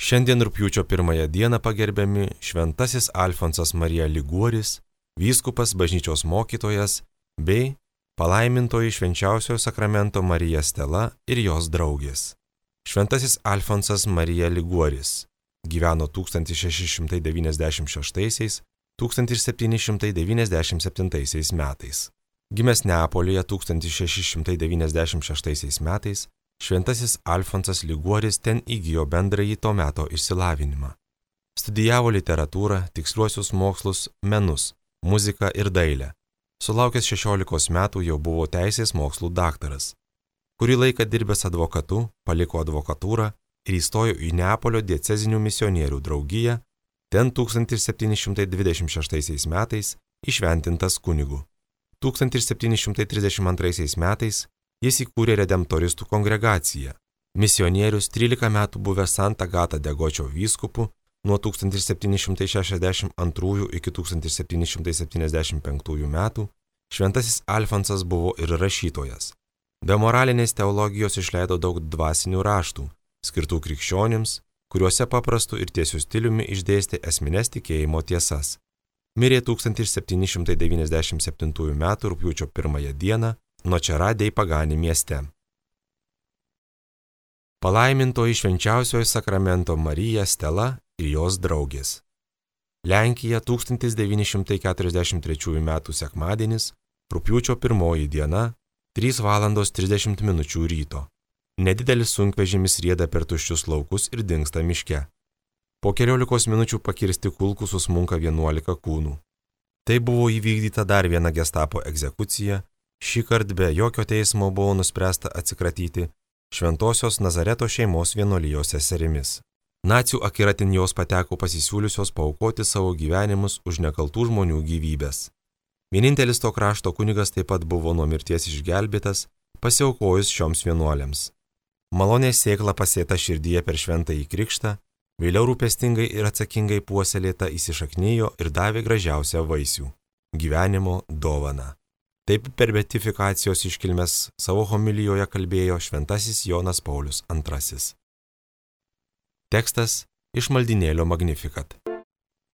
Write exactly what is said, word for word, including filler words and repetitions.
Šiandien rugpjūčio pirmąją dieną pagerbiami šventasis Alfonsas Marija Liguoris, vyskupas, bažnyčios mokytojas bei palaimintoji švenčiausiojo sakramento Marija Stela ir jos draugės. Šventasis Alfonsas Marija Liguoris gyveno tūkstantis šeši šimtai devyniasdešimt šeštaisiais - tūkstantis septyni šimtai devyniasdešimt septintaisiais metais. Gimęs Neapolyje tūkstantis šeši šimtai devyniasdešimt šeštaisiais metais, šventasis Alfonsas Liguoris ten įgijo bendrąjį to meto išsilavinimą. Studijavo literatūrą, tiksliuosius mokslus, menus, muziką ir dailę. Sulaukęs šešiolikos metų jau buvo teisės mokslų daktaras. Kurį laiką dirbęs advokatu, paliko advokatūrą ir įstojo į Neapolio diecezinių misionierių draugiją, ten tūkstantis septyni šimtai dvidešimt šeštaisiais metais įšventintas kunigu. tūkstantis septyni šimtai trisdešimt antraisiais metais jis įkūrė redemptoristų kongregaciją. Misionierius trylika metų buvęs Santa Gata de Gočio vyskupu nuo tūkstantis septyni šimtai šešiasdešimt antrųjų iki tūkstantis septyni šimtai septyniasdešimt penktųjų metų, šventasis Alfonsas buvo ir rašytojas. Be moralinės teologijos išleido daug dvasinių raštų, skirtų krikščionims, kuriuose paprastu ir tiesiu stiliumi išdėstė esmines tikėjimo tiesas. Mirė tūkstantis septyni šimtai devyniasdešimt septintųjų metų rugpjūčio pirmąją dieną Nočera dei Pagani mieste. Palaimintoji švenčiausiojo sakramento Marija Stela ir jos draugės. Lenkija tūkstantis devyni šimtai keturiasdešimt trečiųjų metų sekmadienis, rugpjūčio pirmoji diena, trys valandos trisdešimt minučių ryto. Nedidelis sunkvežimis rieda per tuščius laukus ir dingsta miške. Po keliolikos minučių pakirsti kulkų susmunka vienuolika kūnų. Tai buvo įvykdyta dar viena gestapo egzekucija, šįkart be jokio teismo buvo nuspręsta atsikratyti šventosios Nazareto šeimos vienuolijos seserimis. Nacių akiratin jos pateko pasisiūliusios paaukoti savo gyvenimus už nekaltų žmonių gyvybės. Vienintelis to krašto kunigas taip pat buvo nuo mirties išgelbėtas, pasiaukojus šioms vienuolėms. Malonės sėkla pasėta širdyje per šventąjį krikštą, vėliau rūpestingai ir atsakingai puoselėta įsišaknijo ir davė gražiausią vaisių – gyvenimo dovaną. Taip per beatifikacijos iškilmes savo homilijoje kalbėjo šventasis Jonas Paulius antrasis. Tekstas iš maldynėlio Magnificat.